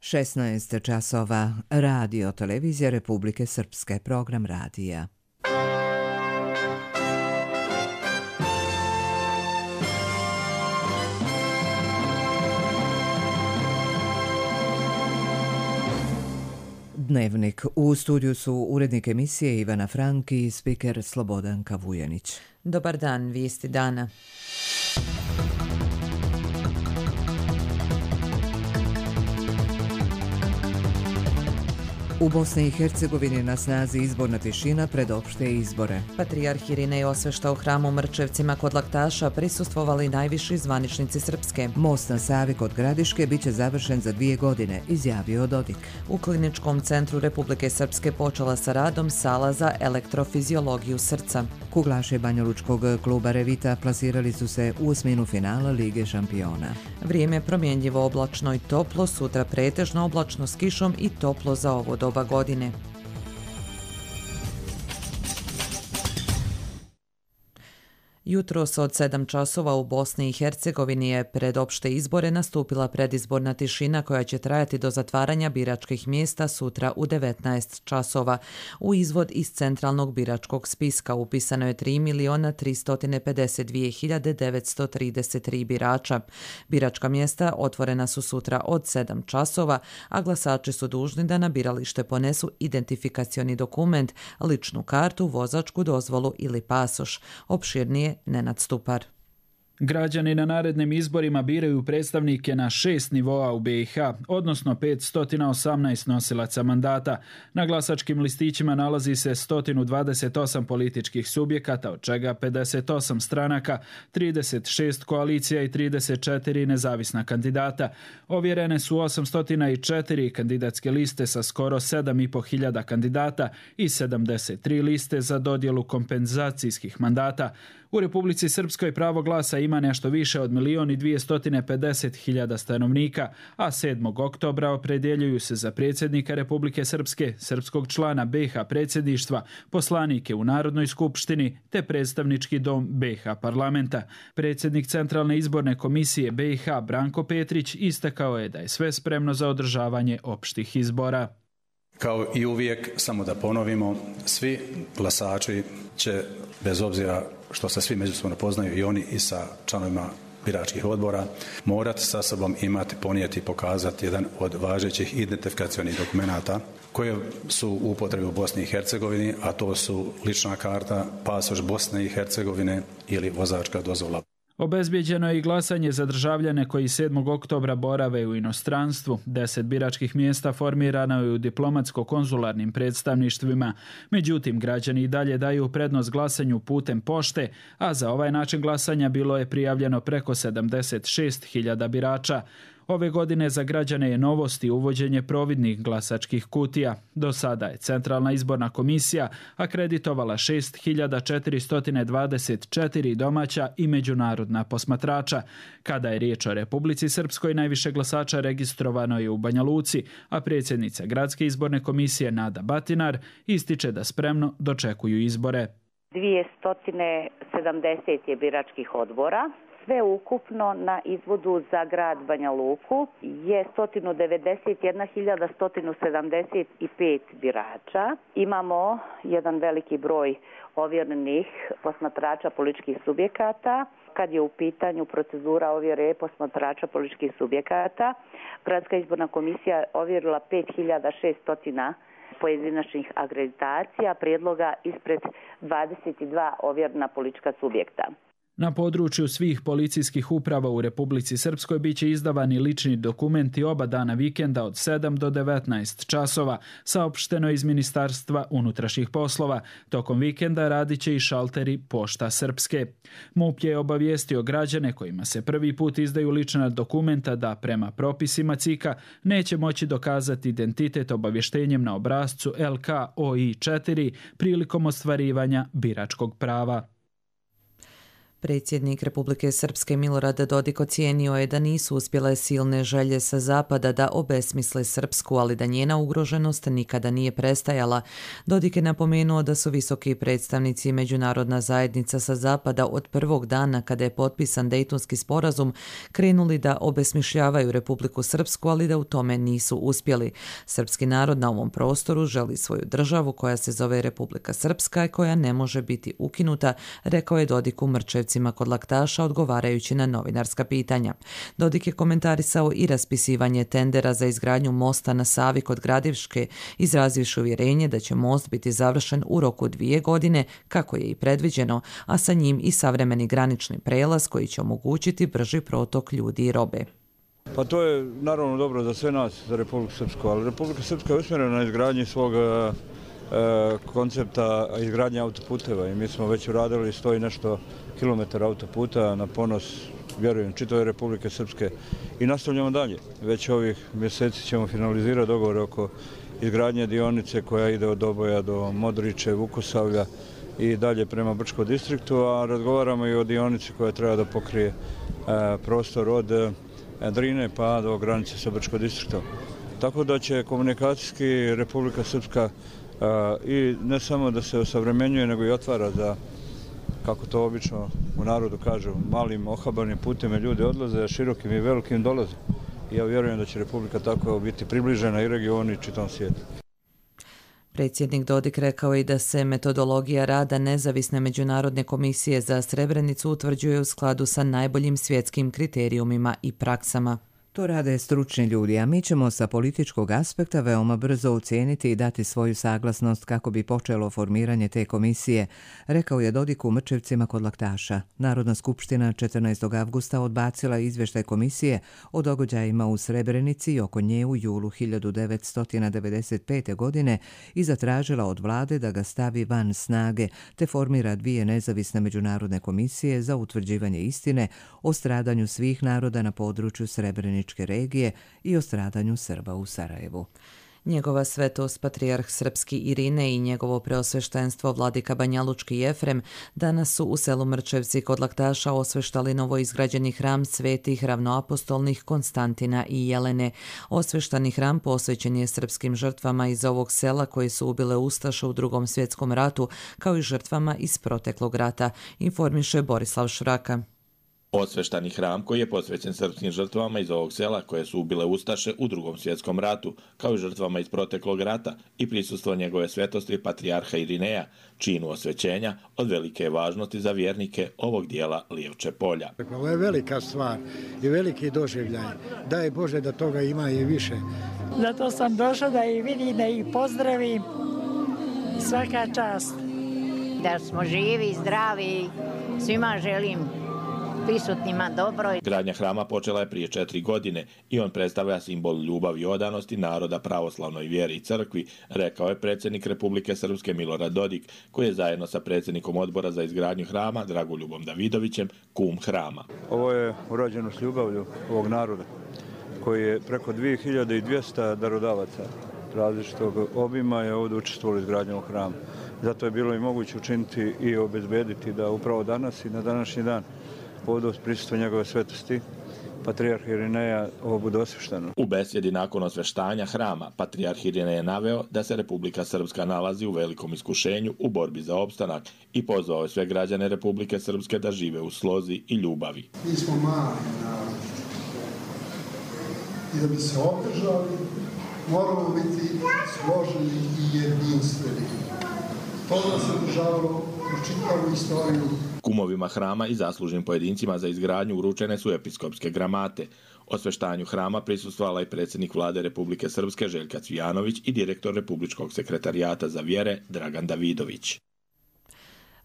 16 časova. Radio Televizija Republike Srpske. Program radija. Dnevnik. U studiju su urednik emisije Ivana Frank i spiker Slobodanka Vujanić. Dobar dan, vijesti dana. U Bosni i Hercegovini na snazi izborna tišina pred opšte izbore. Patrijarh Irinej osvešta u hramu Mrčevcima kod Laktaša prisustvovali najviši zvaničnici Srpske. Most na Savi kod Gradiške biće završen za 2 godine, izjavio Dodik. U Kliničkom centru Republike Srpske počela sa radom sala za elektrofiziologiju srca. Kuglaši banjalučkog kluba Revita plasirali su se u osminu finala Lige šampiona. Vrijeme promjenjivo, oblačno i toplo, sutra pretežno oblačno s kišom i toplo za ovo doba godine. Jutros od 7 časova u Bosni i Hercegovini je pred opšte izbore nastupila predizborna tišina koja će trajati do zatvaranja biračkih mjesta sutra u 19 časova. U izvod iz centralnog biračkog spiska upisano je 3.352.933 birača. Biračka mjesta otvorena su sutra od 7 časova, a glasači su dužni da na biralište ponesu identifikacioni dokument, ličnu kartu, vozačku dozvolu ili pasoš. Opširnije Nenad Stupar. Građani na narednim izborima biraju predstavnike na 6 nivoa u BiH, odnosno 518 nosilaca mandata. Na glasačkim listićima nalazi se 128 političkih subjekata, od čega 58 stranaka, 36 koalicija i 34 nezavisna kandidata. Ovjerene su 804 kandidatske liste sa skoro 7.500 kandidata i 73 liste za dodjelu kompenzacijskih mandata. U Republici Srpskoj pravo glasa ima nešto više od 1.250.000 stanovnika, a 7. oktobra opredjeljuju se za predsjednika Republike Srpske, srpskog člana BiH predsjedništva, poslanike u Narodnoj skupštini te predstavnički dom BiH parlamenta. Predsjednik Centralne izborne komisije BiH Branko Petrić istakao je da je sve spremno za održavanje opštih izbora. Kao i uvijek, samo da ponovimo, svi glasači će, bez obzira što se svi međusobno poznaju i oni i sa članovima biračkih odbora, morati sa sobom imati, ponijeti i pokazati jedan od važećih identifikacionih dokumenata koje su u upotrebi u Bosni i Hercegovini, a to su lična karta, pasoš Bosne i Hercegovine ili vozačka dozvola. Obezbijeđeno je i glasanje za državljane koji 7. oktobra borave u inostranstvu. 10 biračkih mjesta formirano je u diplomatsko-konzularnim predstavništvima. Međutim, građani i dalje daju prednost glasanju putem pošte, a za ovaj način glasanja bilo je prijavljeno preko 76.000 birača. Ove godine za građane je novost i uvođenje providnih glasačkih kutija. Do sada je Centralna izborna komisija akreditovala 6.424 domaća i međunarodna posmatrača. Kada je riječ o Republici Srpskoj, najviše glasača registrovano je u Banja Luci, a predsjednica Gradske izborne komisije Nada Batinar ističe da spremno dočekuju izbore. 270 je biračkih odbora. Sve ukupno na izvodu za grad Banja Luku je 191.175 birača. Imamo jedan veliki broj ovjerenih posmatrača političkih subjekata. Kad je u pitanju procedura ovjere posmatrača političkih subjekata, Gradska izborna komisija ovjerila 5.600 pojedinačnih akreditacija, prijedloga ispred 22 ovjerena politička subjekta. Na području svih policijskih uprava u Republici Srpskoj biće izdavani lični dokumenti oba dana vikenda od 7 do 19 časova, saopšteno iz Ministarstva unutrašnjih poslova. Tokom vikenda radit će i šalteri Pošta Srpske. MUP je obavijestio građane kojima se prvi put izdaju lična dokumenta da prema propisima CIK-a neće moći dokazati identitet obavještenjem na obrascu LK-OI4 prilikom ostvarivanja biračkog prava. Predsjednik Republike Srpske Milorad Dodik ocijenio je da nisu uspjele silne želje sa zapada da obesmisle Srpsku, ali da njena ugroženost nikada nije prestajala. Dodik je napomenuo da su visoki predstavnici i međunarodna zajednica sa zapada od prvog dana kada je potpisan Dejtonski sporazum krenuli da obesmišljavaju Republiku Srpsku, ali da u tome nisu uspjeli. Srpski narod na ovom prostoru želi svoju državu koja se zove Republika Srpska i koja ne može biti ukinuta, rekao je Dodik u Mrčevcima kod Laktaša odgovarajući na novinarska pitanja. Dodik je komentarisao i raspisivanje tendera za izgradnju mosta na Savi kod Gradiške, izrazivši uvjerenje da će most biti završen u roku 2 godine, kako je i predviđeno, a sa njim i savremeni granični prelaz koji će omogućiti brži protok ljudi i robe. Pa to je naravno dobro za sve nas, za Republiku Srpsku, ali Republika Srpska je usmjerena na izgradnji svog koncepta izgradnje autoputeva i mi smo već uradili 100 i nešto kilometara autoputa na ponos, vjerujem, čitave Republike Srpske i nastavljamo dalje. Već ovih mjeseci ćemo finalizirati dogovor oko izgradnje dionice koja ide od Doboja do Modriče, Vukosavlja i dalje prema Brčkom distriktu, a razgovaramo i o dionici koja treba da pokrije prostor od Drine pa do granice sa Brčkom distriktom. Tako da će komunikacijski Republika Srpska i ne samo da se osavremenjuje, nego i otvara za, kako to obično u narodu kažu, malim ohabanim putem ljudi odlaze, a širokim i velikim dolaze. I ja vjerujem da će Republika tako biti približena i regionu i čitavom svijetu. Predsjednik Dodik rekao i da se metodologija rada nezavisne međunarodne komisije za Srebrenicu utvrđuje u skladu sa najboljim svjetskim kriterijumima i praksama. To rade stručni ljudi, a mi ćemo sa političkog aspekta veoma brzo ocijeniti i dati svoju saglasnost kako bi počelo formiranje te komisije, rekao je Dodik u Mrčevcima kod Laktaša. Narodna skupština 14. avgusta odbacila izvještaj komisije o događajima u Srebrenici i oko nje u julu 1995. godine i zatražila od vlade da ga stavi van snage te formira 2 nezavisne međunarodne komisije za utvrđivanje istine o stradanju svih naroda na području Srebreničke regije i o stradanju Srba u Sarajevu. Njegova svetost patrijarh srpski Irine i njegovo preosveštenstvo vladika Banjalučki Jefrem danas su u selu Mrčevci kod Laktaša osveštali novoizgrađeni hram svetih ravnoapostolnih Konstantina i Jelene. Osveštani hram posvećen je srpskim žrtvama iz ovog sela koji su ubile ustaše u Drugom svjetskom ratu, kao i žrtvama iz proteklog rata, informiše Borislav Švraka. Osveštani hram koji je posvećen srpskim žrtvama iz ovog sela koje su ubile ustaše u Drugom svjetskom ratu, kao i žrtvama iz proteklog rata i prisustvo njegove svetosti patrijarha Irineja, činu osvećenja od velike je važnosti za vjernike ovog dijela Lijevče polja. Ovo je velika stvar i veliki doživljaj. Daj Bože da toga ima i više. Zato sam došla da ih vidim, da ih pozdravim. Svaka čast. Da smo živi, zdravi, svima želim prisutnima dobro. Gradnja hrama počela je prije 4 godine i on predstavlja simbol ljubavi i odanosti naroda pravoslavnoj vjeri i crkvi, rekao je predsjednik Republike Srpske Milorad Dodik, koji je zajedno sa predsjednikom odbora za izgradnju hrama Dragoljubom Davidovićem kum hrama. Ovo je urađeno s ljubavlju ovog naroda, koji je preko 2200 darodavaca različitog obima je ovdje učestvovalo u izgradnju ovog hrama. Zato je bilo i moguće učiniti i obezbediti da upravo danas i na današnji dan ovdje uz prisustvo njegove svetosti patrijarha Irineja ovo bude osvešteno. U besjedi nakon osveštanja hrama, patrijarh Irinej je naveo da se Republika Srpska nalazi u velikom iskušenju u borbi za opstanak i pozvao je sve građane Republike Srpske da žive u slozi i ljubavi. Mi smo mali narod i da bi se održali moramo biti složeni i jedinstveni. To nas je održavalo kroz čitavu istoriju. Kumovima hrama i zaslužnim pojedincima za izgradnju uručene su episkopske gramate. Osveštanju hrama prisustvovala i predsjednik vlade Republike Srpske Željka Cvijanović i direktor Republičkog sekretarijata za vjere Dragan Davidović.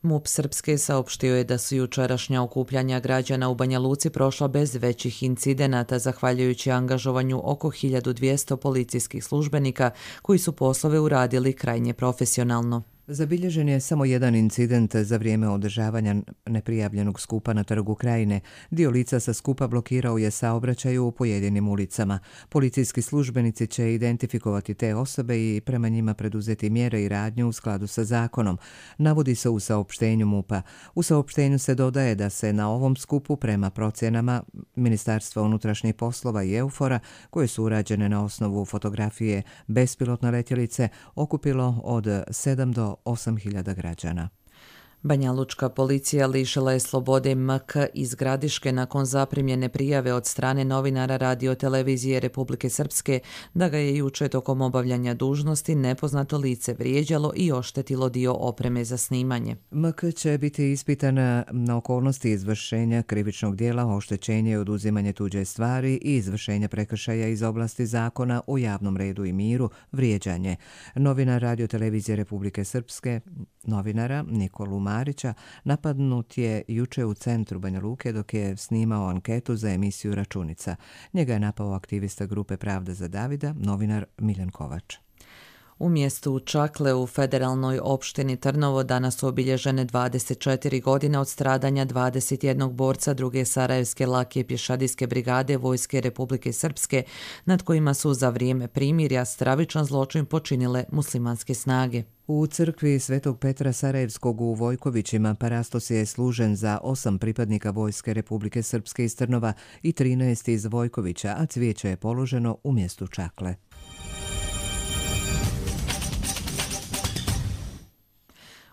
MUP Srpske saopštio je da su jučerašnja okupljanja građana u Banja Luci prošla bez većih incidenata, zahvaljujući angažovanju oko 1200 policijskih službenika koji su poslove uradili krajnje profesionalno. Zabilježen je samo jedan incident za vrijeme održavanja neprijavljenog skupa na Trgu Krajine. Dio lica sa skupa blokirao je saobraćaj u pojedinim ulicama. Policijski službenici će identifikovati te osobe i prema njima preduzeti mjere i radnje u skladu sa zakonom, navodi se u saopštenju MUP-a. U saopštenju se dodaje da se na ovom skupu prema procjenama Ministarstva unutrašnjih poslova i EUFOR-a, koje su urađene na osnovu fotografije bespilotne letjelice, okupilo od 7 do 8.000 građana. Banjalučka policija lišila je slobode MK iz Gradiške nakon zaprimljene prijave od strane novinara Radio-televizije Republike Srpske da ga je juče tokom obavljanja dužnosti nepoznato lice vrijeđalo i oštetilo dio opreme za snimanje. MK će biti ispitana na okolnosti izvršenja krivičnog dijela, oštećenje i oduzimanje tuđe stvari i izvršenja prekršaja iz oblasti zakona o javnom redu i miru, vrijeđanje. Novinar Radio-televizije Republike Srpske, novinara Nikolu Marića, napadnut je juče u centru Banja Luke dok je snimao anketu za emisiju Računica. Njega je napao aktivista grupe Pravda za Davida, novinar Miljan Kovač. U mjestu Čakle u federalnoj opštini Trnovo danas su obilježene 24 godine od stradanja 21 borca druge Sarajevske lake pješadijske brigade Vojske Republike Srpske, nad kojima su za vrijeme primirja stravičan zločin počinile muslimanske snage. U crkvi Svetog Petra Sarajevskog u Vojkovićima parastos je služen za 8 pripadnika Vojske Republike Srpske iz Trnova i 13 iz Vojkovića, a cvijeće je položeno u mjestu Čakle.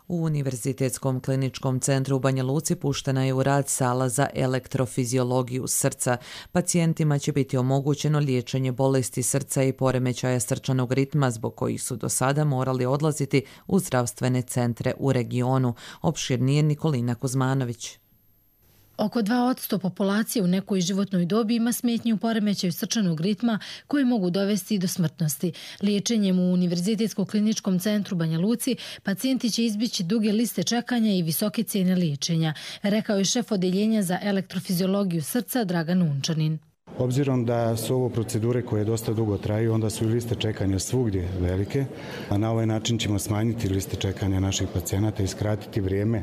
U Univerzitetskom kliničkom centru u Banja Luci puštena je u rad sala za elektrofiziologiju srca. Pacijentima će biti omogućeno liječenje bolesti srca i poremećaja srčanog ritma zbog kojih su do sada morali odlaziti u zdravstvene centre u regionu. Opširnije Nikolina Kuzmanović. Oko 2% populacije u nekoj životnoj dobi ima smetnje u poremećaju srčanog ritma koje mogu dovesti do smrtnosti. Liječenjem u Univerzitetskom kliničkom centru Banja Luci pacijenti će izbjeći duge liste čekanja i visoke cijene liječenja, rekao je šef odeljenja za elektrofiziologiju srca Dragan Unčanin. Obzirom da su ovo procedure koje dosta dugo traju, onda su i liste čekanja svugdje velike, a na ovaj način ćemo smanjiti liste čekanja naših pacijenata i skratiti vrijeme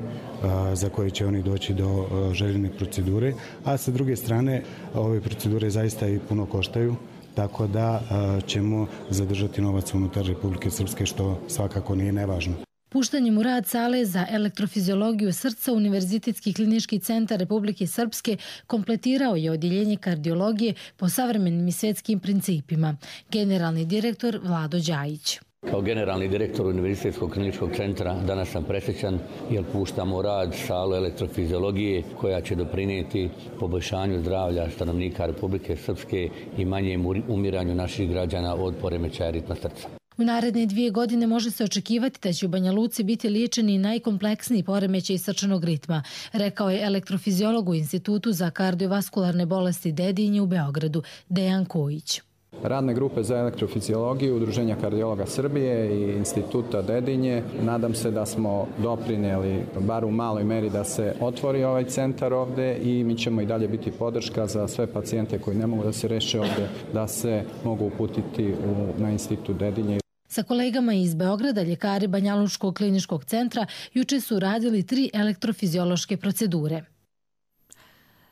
za koje će oni doći do željene procedure, a sa druge strane ove procedure zaista i puno koštaju, tako da ćemo zadržati novac unutar Republike Srpske, što svakako nije nevažno. Puštanjem u rad sale za elektrofiziologiju srca Univerzitetski klinički centar Republike Srpske kompletirao je odjeljenje kardiologije po savremenim i svjetskim principima. Generalni direktor Vlado Đajić. Kao generalni direktor Univerzitetskog kliničkog centra danas sam presrećan jer puštamo u rad salu elektrofiziologije koja će doprinijeti poboljšanju zdravlja stanovnika Republike Srpske i manjem umiranju naših građana od poremećaja ritma srca. U naredne 2 godine može se očekivati da će u Banja Luci biti liječeni najkompleksniji poremećaj srčanog ritma, rekao je elektrofiziolog u Institutu za kardiovaskularne bolesti Dedinje u Beogradu, Dejan Kojić. Radne grupe za elektrofiziologiju, Udruženja kardiologa Srbije i Instituta Dedinje. Nadam se da smo doprinijeli, bar u maloj meri, da se otvori ovaj centar ovde i mi ćemo i dalje biti podrška za sve pacijente koji ne mogu da se reše ovde, da se mogu uputiti na Institut Dedinje. Sa kolegama iz Beograda, ljekari Banjalučkog kliničkog centra juče su radili 3 elektrofiziološke procedure.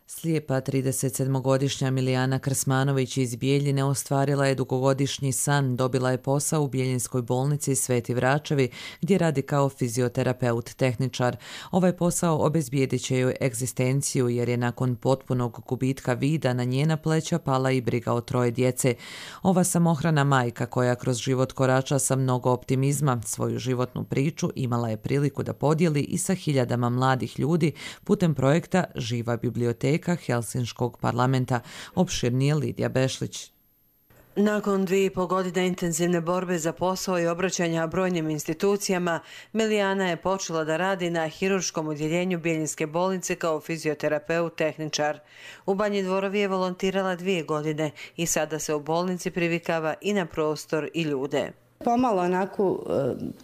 Slijepa 37-godišnja Milijana Krsmanović iz Bijeljine ostvarila je dugogodišnji san, dobila je posao u Bijeljinskoj bolnici Sveti Vračevi gdje radi kao fizioterapeut tehničar. Ovaj posao obezbijedit će joj egzistenciju jer je nakon potpunog gubitka vida na njena pleća pala i briga o 3 djece. Ova samohrana majka koja kroz život korača sa mnogo optimizma, svoju životnu priču imala je priliku da podijeli i sa hiljadama mladih ljudi putem projekta Živa biblioteka Helsinškog parlamenta. Opširnije Lidija Bešlić. Nakon 2,5 godine intenzivne borbe za posao i obraćanja brojnim institucijama, Milijana je počela da radi na hirurškom odjeljenju Bijeljinske bolnice kao fizioterapeut tehničar. U Banji Dvorovi je volontirala 2 godine i sada se u bolnici privikava i na prostor i ljude. Pomalo onako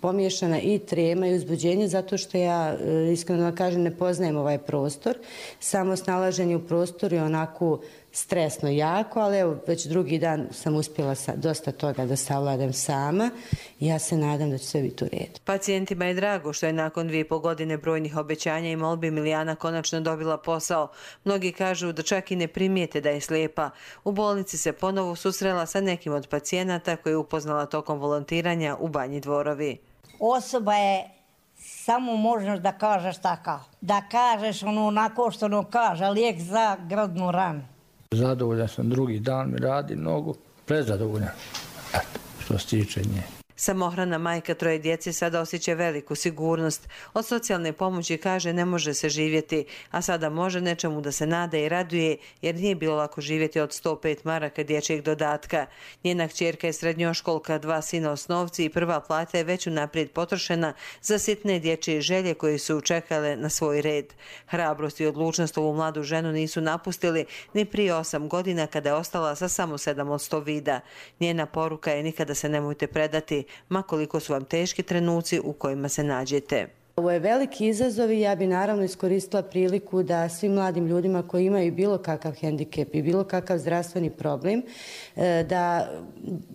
pomiješana i trema i uzbuđenje zato što ja iskreno kažem ne poznajem ovaj prostor. Samo snalaženje u prostoru je onako stresno jako, ali evo već drugi dan sam uspjela dosta toga da savladam sama i ja se nadam da će sve biti u redu. Pacijentima je drago što je nakon 2,5 godine brojnih obećanja i molbi Milijana konačno dobila posao. Mnogi kažu da čak i ne primijete da je slijepa. U bolnici se ponovo susrela sa nekim od pacijenata koje je upoznala tokom volontiranja u Banji Dvorovi. Osoba je samo možeš da kažeš takav. Da kažeš onako što ono kaže, lijek za gradnu ranu. Zadovoljan sam, drugi dan mi radi mnogo, prezadovoljan. Eto, što se tiče nje. Samohrana majka 3 djece sada osjeća veliku sigurnost. Od socijalne pomoći kaže ne može se živjeti, a sada može nečemu da se nada i raduje jer nije bilo lako živjeti od 105 maraka dječjeg dodatka. Njena kćerka je srednjoškolka, 2 sina osnovci i prva plata je već unaprijed potrošena za sitne dječje želje koje su čekale na svoj red. Hrabrost i odlučnost ovu mladu ženu nisu napustili ni prije 8 godina kada je ostala sa samo 7 od 100 vida. Njena poruka je nikada se nemojte predati, ma koliko su vam teški trenuci u kojima se nađete. Ovo je veliki izazov i ja bi naravno iskoristila priliku da svim mladim ljudima koji imaju bilo kakav hendikep i bilo kakav zdravstveni problem,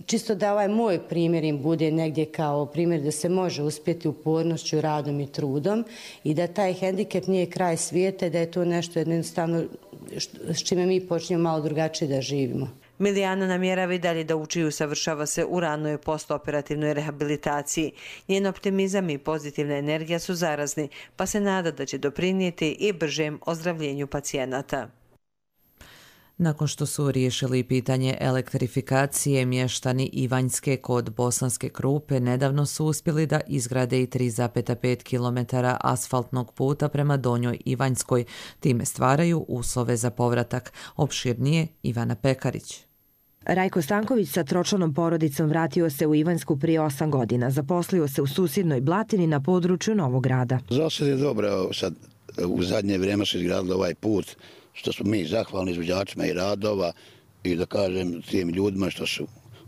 čisto da ovaj moj primjer im bude negdje kao primjer da se može uspjeti upornošću, radom i trudom i da taj hendikep nije kraj svijeta i da je to nešto jednostavno s čime mi počnemo malo drugačije da živimo. Milijana namjerava i dalje da uči i usavršava se u ranoj postoperativnoj rehabilitaciji. Njen optimizam i pozitivna energija su zarazni, pa se nada da će doprinijeti i bržem ozdravljenju pacijenata. Nakon što su riješili pitanje elektrifikacije, mještani Ivanjske kod Bosanske Krupe nedavno su uspjeli da izgrade i 3,5 km asfaltnog puta prema Donjoj Ivanjskoj. Time stvaraju uslove za povratak. Opširnije Ivana Pekarić. Rajko Stanković sa tročlanom porodicom vratio se u Ivanjsku prije 8 godina. Zaposlio se u susjednoj Blatini na području Novog Grada. Zasad je dobro, sad u zadnje vrijeme se izgradili ovaj put, što smo mi zahvalni izvođačima i radova i da kažem tim ljudima što su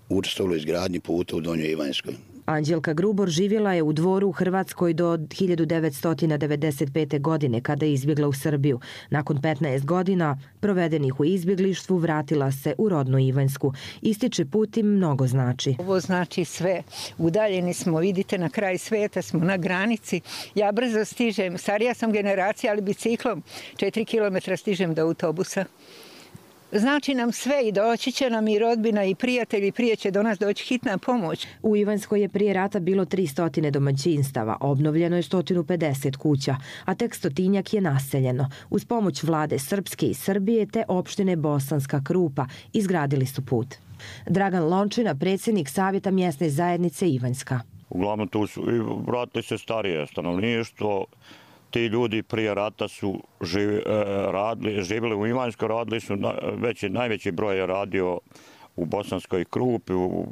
učestvovali u izgradnji puta u Donjoj Ivanjskoj. Anđelka Grubor živjela je u Dvoru u Hrvatskoj do 1995. godine kada je izbjegla u Srbiju. Nakon 15 godina provedenih u izbjeglištvu vratila se u rodnu Ivanjsku. Ističe put im mnogo znači. Ovo znači sve. Udaljeni smo, vidite, na kraj svijeta smo, na granici. Ja brzo stižem, starija sam generacija, ali biciklom 4 km stižem do autobusa. Znači nam sve i doći će nam i rodbina i prijatelji, prije će do nas doći hitna pomoć. U Ivanjskoj je prije rata bilo 300 domaćinstava, obnovljeno je 150 kuća, a tek 100-tinjak je naseljeno. Uz pomoć vlade Srpske i Srbije te opštine Bosanska Krupa izgradili su put. Dragan Lončina, predsjednik Savjeta mjesne zajednice Ivanjska. Uglavnom tu su vratili se starije stanovništvo. Ti ljudi prije rata su živjeli u Ivanjskoj, radili su, najveći broj je radio u Bosanskoj Krupi, u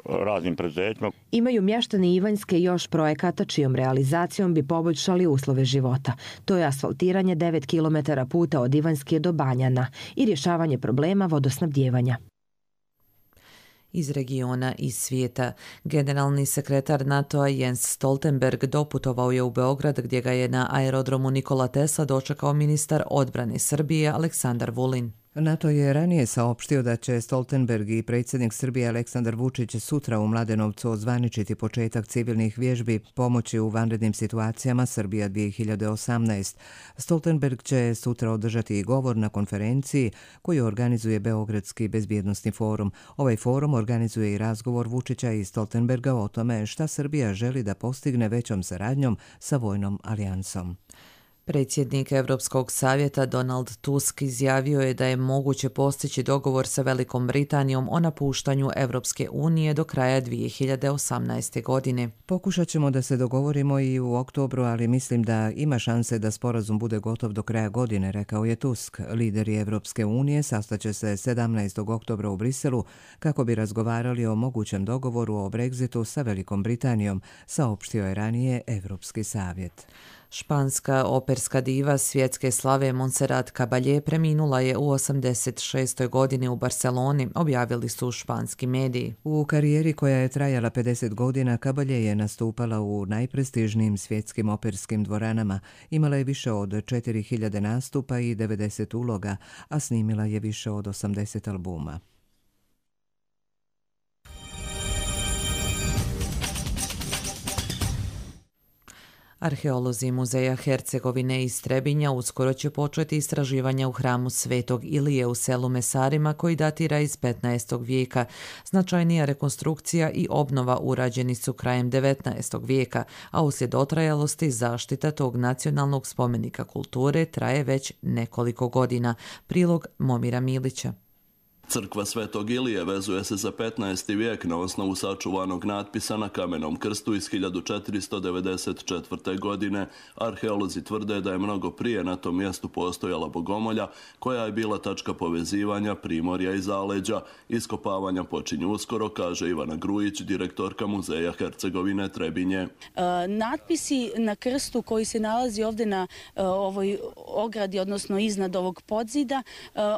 raznim preduzećima. Imaju mještani Ivanjske još projekata čijom realizacijom bi poboljšali uslove života. To je asfaltiranje 9 km puta od Ivanjske do Banjana i rješavanje problema vodosnabdijevanja. Iz regiona i svijeta. Generalni sekretar NATO-a Jens Stoltenberg doputovao je u Beograd gdje ga je na aerodromu Nikola Tesla dočekao ministar odbrane Srbije Aleksandar Vulin. NATO je ranije saopštio da će Stoltenberg i predsjednik Srbije Aleksandar Vučić sutra u Mladenovcu ozvaničiti početak civilnih vježbi pomoći u vanrednim situacijama Srbija 2018. Stoltenberg će sutra održati i govor na konferenciji koju organizuje Beogradski bezbjednosni forum. Ovaj forum organizuje i razgovor Vučića i Stoltenberga o tome šta Srbija želi da postigne većom saradnjom sa vojnom alijansom. Predsjednik Europskog savjeta Donald Tusk izjavio je da je moguće postići dogovor sa Velikom Britanijom o napuštanju Europske unije do kraja 2018. godine. Pokušat ćemo da se dogovorimo i u oktobru, ali mislim da ima šanse da sporazum bude gotov do kraja godine, rekao je Tusk. Lideri Europske unije sastaće se 17. oktobra u Briselu kako bi razgovarali o mogućem dogovoru o Brexitu sa Velikom Britanijom, saopštio je ranije Europski savjet. Španska operska diva svjetske slave Montserrat Caballé preminula je u 86. godini u Barceloni, objavili su španski mediji. U karijeri koja je trajala 50 godina, Caballé je nastupala u najprestižnijim svjetskim operskim dvoranama, imala je više od 4000 nastupa i 90 uloga, a snimila je više od 80 albuma. Arheolozi muzeja Hercegovine iz Trebinja uskoro će početi istraživanja u hramu Svetog Ilije u selu Mesarima koji datira iz 15. vijeka. Značajnija rekonstrukcija i obnova urađeni su krajem 19. vijeka, a uslijed otrajalosti zaštita tog nacionalnog spomenika kulture traje već nekoliko godina. Prilog Momira Milića. Crkva Svetog Ilije vezuje se za 15. vijek na osnovu sačuvanog natpisa na kamenom krstu iz 1494. godine. Arheolozi tvrde da je mnogo prije na tom mjestu postojala bogomolja koja je bila tačka povezivanja primorja i zaleđa. Iskopavanja počinju uskoro, kaže Ivana Grujić, direktorka muzeja Hercegovine Trebinje. Natpisi na krstu koji se nalazi ovdje na ovoj ogradi, odnosno iznad ovog podzida,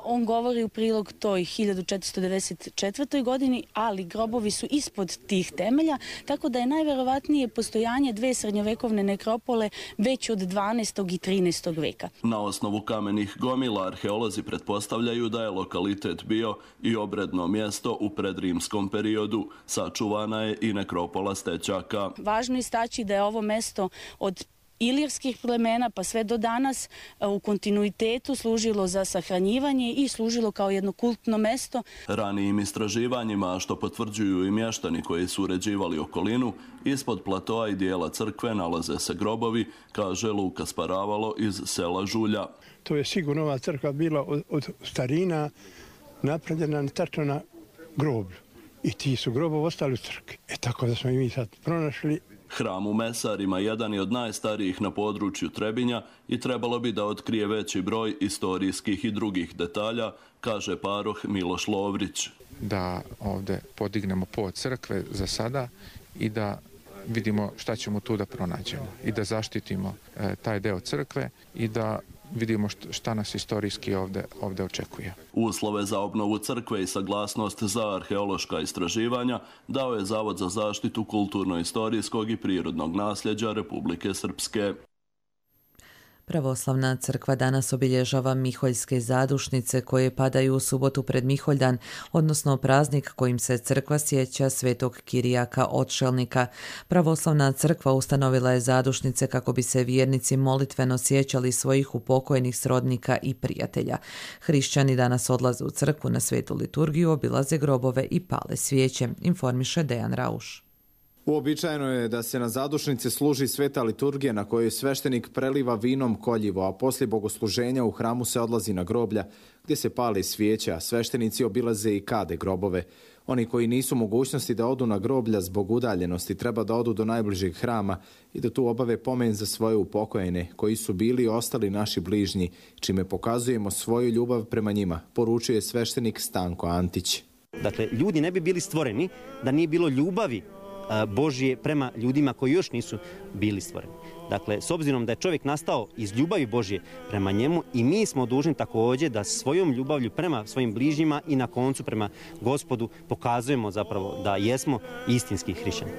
on govori u prilog toj 1494. godini, ali grobovi su ispod tih temelja, tako da je najverovatnije postojanje dve srednjovekovne nekropole već od 12. i 13. veka. Na osnovu kamenih gomila arheolozi pretpostavljaju da je lokalitet bio i obredno mjesto u predrimskom periodu. Sačuvana je i nekropola Stećaka. Važno je istaći da je ovo mesto od ilirskih plemena pa sve do danas u kontinuitetu služilo za sahranjivanje i služilo kao jedno kultno mesto. Ranijim istraživanjima, što potvrđuju i mještani koji su uređivali okolinu, ispod platoa i dijela crkve nalaze se grobovi, kaže Luka Sparavalo iz sela Žulja. To je sigurno ova crkva bila od starina napravljena tačno na groblju. I ti su grobovi ostali u crkvi. Tako da smo i mi sad pronašli. Hram u Mesarima jedan je od najstarijih na području Trebinja i trebalo bi da otkrije veći broj istorijskih i drugih detalja, kaže paroh Miloš Lovrić. Da ovdje podignemo pod crkve za sada i da vidimo šta ćemo tu da pronađemo i da zaštitimo taj deo crkve i da vidimo šta nas istorijski ovdje očekuje. Uslove za obnovu crkve i saglasnost za arheološka istraživanja dao je Zavod za zaštitu kulturno-istorijskog i prirodnog nasljeđa Republike Srpske. Pravoslavna crkva danas obilježava Miholjske zadušnice koje padaju u subotu pred Miholjdan, odnosno praznik kojim se crkva sjeća svetog Kirijaka Odšelnika. Pravoslavna crkva ustanovila je zadušnice kako bi se vjernici molitveno sjećali svojih upokojenih srodnika i prijatelja. Hrišćani danas odlaze u crkvu na svetu liturgiju, obilaze grobove i pale svijeće, informiše Dejan Rauš. Uobičajeno je da se na zadušnici služi sveta liturgija na kojoj sveštenik preliva vinom koljivo, a poslije bogosluženja u hramu se odlazi na groblja gdje se pale svijeće, a sveštenici obilaze i kade grobove. Oni koji nisu mogućnosti da odu na groblja zbog udaljenosti treba da odu do najbližeg hrama i da tu obave pomen za svoje upokojene koji su bili i ostali naši bližnji, čime pokazujemo svoju ljubav prema njima, poručuje sveštenik Stanko Antić. Dakle, ljudi ne bi bili stvoreni da nije bilo ljubavi Božje prema ljudima koji još nisu bili stvoreni. Dakle, s obzirom da je čovjek nastao iz ljubavi Božje prema njemu i mi smo dužni također da svojom ljubavlju prema svojim bližnjima i na koncu prema Gospodu pokazujemo zapravo da jesmo istinski hrišćani.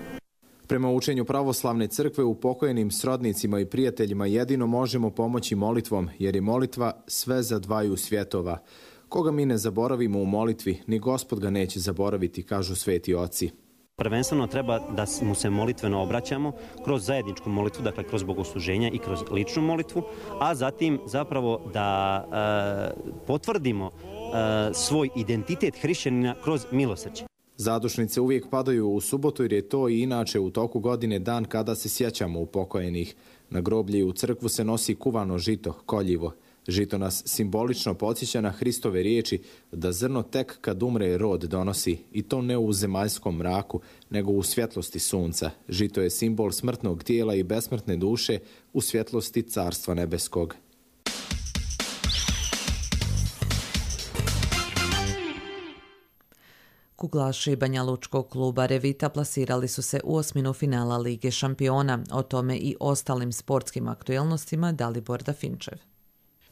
Prema učenju pravoslavne crkve upokojenim srodnicima i prijateljima jedino možemo pomoći molitvom, jer je molitva sve za dvaju svjetova. Koga mi ne zaboravimo u molitvi, ni Gospod ga neće zaboraviti, kažu sveti oci. Prvenstveno treba da mu se molitveno obraćamo kroz zajedničku molitvu, dakle kroz bogosluženja i kroz ličnu molitvu, a zatim zapravo da potvrdimo svoj identitet hrišćanina kroz milosrđe. Zadušnice uvijek padaju u subotu jer je to i inače u toku godine dan kada se sjećamo upokojenih. Na groblje u crkvu se nosi kuvano žito, koljivo. Žito nas simbolično podsjeća na Hristove riječi da zrno tek kad umre rod donosi, i to ne u zemaljskom mraku, nego u svjetlosti sunca. Žito je simbol smrtnog tijela i besmrtne duše u svjetlosti Carstva nebeskog. Kuglaši Banja Lučkog kluba Revita plasirali su se u osminu finala Lige šampiona. O tome i ostalim sportskim aktuelnostima Dalibor Dafinčev.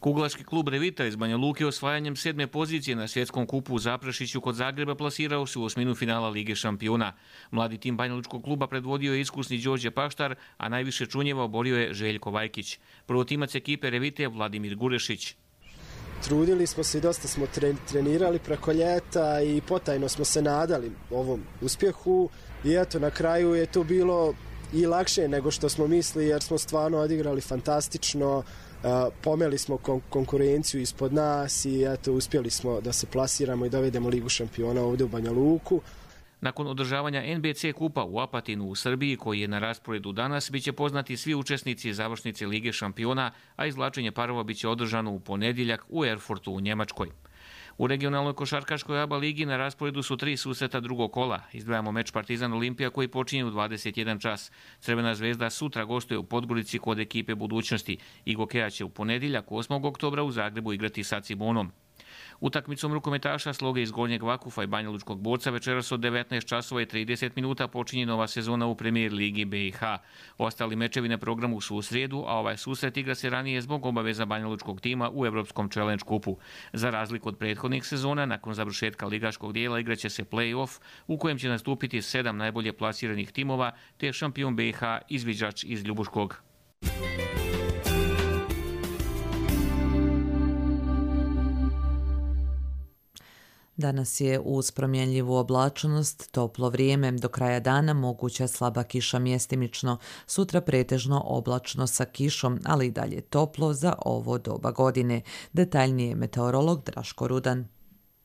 Kuglaški klub Revita iz Banja Luke osvajanjem 7. pozicije na svjetskom kupu u Zaprešiću kod Zagreba plasirao se u osminu finala Lige šampiona. Mladi tim Banja Lučkog kluba predvodio je iskusni Đorđe Paštar, a najviše čunjeva oborio je Željko Vajkić. Prvotimac ekipe Revite je Vladimir Gurešić. Trudili smo se i dosta smo trenirali preko ljeta i potajno smo se nadali ovom uspjehu i eto na kraju je to bilo i lakše nego što smo mislili jer smo stvarno odigrali fantastično, pomeli smo konkurenciju ispod nas i eto uspjeli smo da se plasiramo i dovedemo Ligu šampiona ovdje u Banja Luku. Nakon održavanja NBC kupa u Apatinu u Srbiji, koji je na rasporedu danas, biće poznati svi učesnici završnice Lige šampiona, a izvlačenje parova biće održano u ponedjeljak u Erfurtu u Njemačkoj. U regionalnoj košarkaškoj ABA ligi na rasporedu su 3 susreta drugog kola. Izdvajamo meč Partizan Olimpija koji počinje u 21 čas. Crvena zvezda sutra gostuje u Podgorici kod ekipe Budućnosti. Igokeja će u ponedjeljak 8. oktobra u Zagrebu igrati sa Cibonom. Utakmicom rukometaša Sloge iz Gornjeg Vakufa i Banja Lučkog Borca večeras od 19 časova i 30 minuta počinje nova sezona u Premier Ligi BiH. Ostali mečevi na programu su u srijedu, a ovaj susret igra se ranije zbog obaveza Banja Lučkog tima u Evropskom Challenge kupu. Za razliku od prethodnih sezona, nakon završetka ligaškog dijela igraće se play-off u kojem će nastupiti 7 najbolje plasiranih timova te šampion BiH izviđač iz Ljubuškog. Danas je uz promjenljivu oblačnost, toplo vrijeme, do kraja dana moguća slaba kiša mjestimično, sutra pretežno oblačno sa kišom, ali i dalje toplo za ovo doba godine. Detaljnije meteorolog Draško Rudan.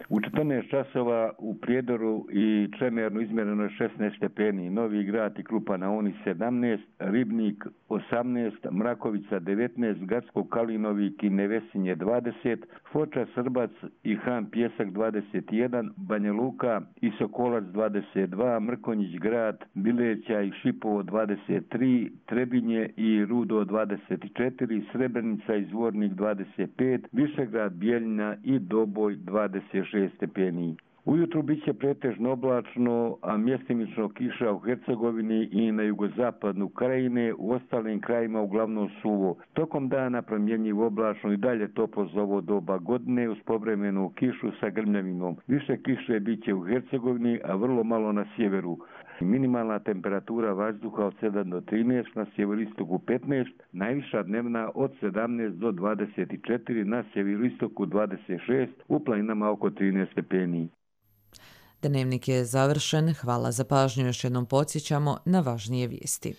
U 14 časova u Prijedoru i Čemernu izmjereno je 16 stepeni, Novi Grad i Klupa na Uni 17, Ribnik 18, Mrakovica 19, Gacko Kalinovik i Nevesinje 20, Foča Srbac i Han Pjesak 21, Banja Luka i Sokolac 22, Mrkonjić Grad, Bileća i Šipovo 23, Trebinje i Rudo 24, Srebrenica i Zvornik 25, Višegrad, Bijeljina i Doboj 26 stepeni. Ujutru bit će pretežno oblačno, a mjestimično kiša u Hercegovini i na jugozapadu Krajine, u ostalim krajima uglavnom suvo. Tokom dana promjenjivo oblačno i dalje toplo za ovo doba godine uz povremenu kišu sa grmljavinom. Više kiše bit će u Hercegovini, a vrlo malo na sjeveru. Minimalna temperatura vazduha od 7 do 13, na sjeveroistoku 15, najviša dnevna od 17 do 24, na sjeveroistoku 26, u planinama oko 13 stepeni. Dnevnik je završen. Hvala za pažnju. Još jednom podsjećamo na važnije vijesti.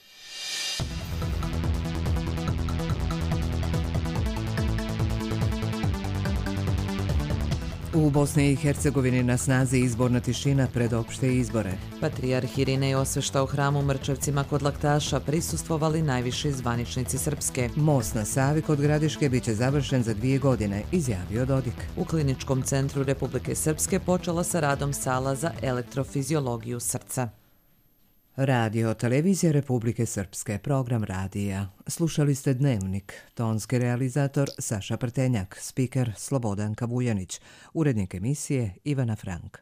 U Bosni i Hercegovini na snazi izborna tišina pred opšte izbore. Patrijarh Irinej Osvešta u hramu Mrčevcima kod Laktaša prisustvovali najviši zvaničnici Srpske. Most na Savi kod Gradiške biće završen za 2 godine, izjavio Dodik. U Kliničkom centru Republike Srpske počela sa radom sala za elektrofiziologiju srca. Radio Televizija Republike Srpske, program radija. Slušali ste Dnevnik, tonski realizator Saša Prtenjak, spiker Slobodanka Vujanić, urednik emisije Ivana Frank.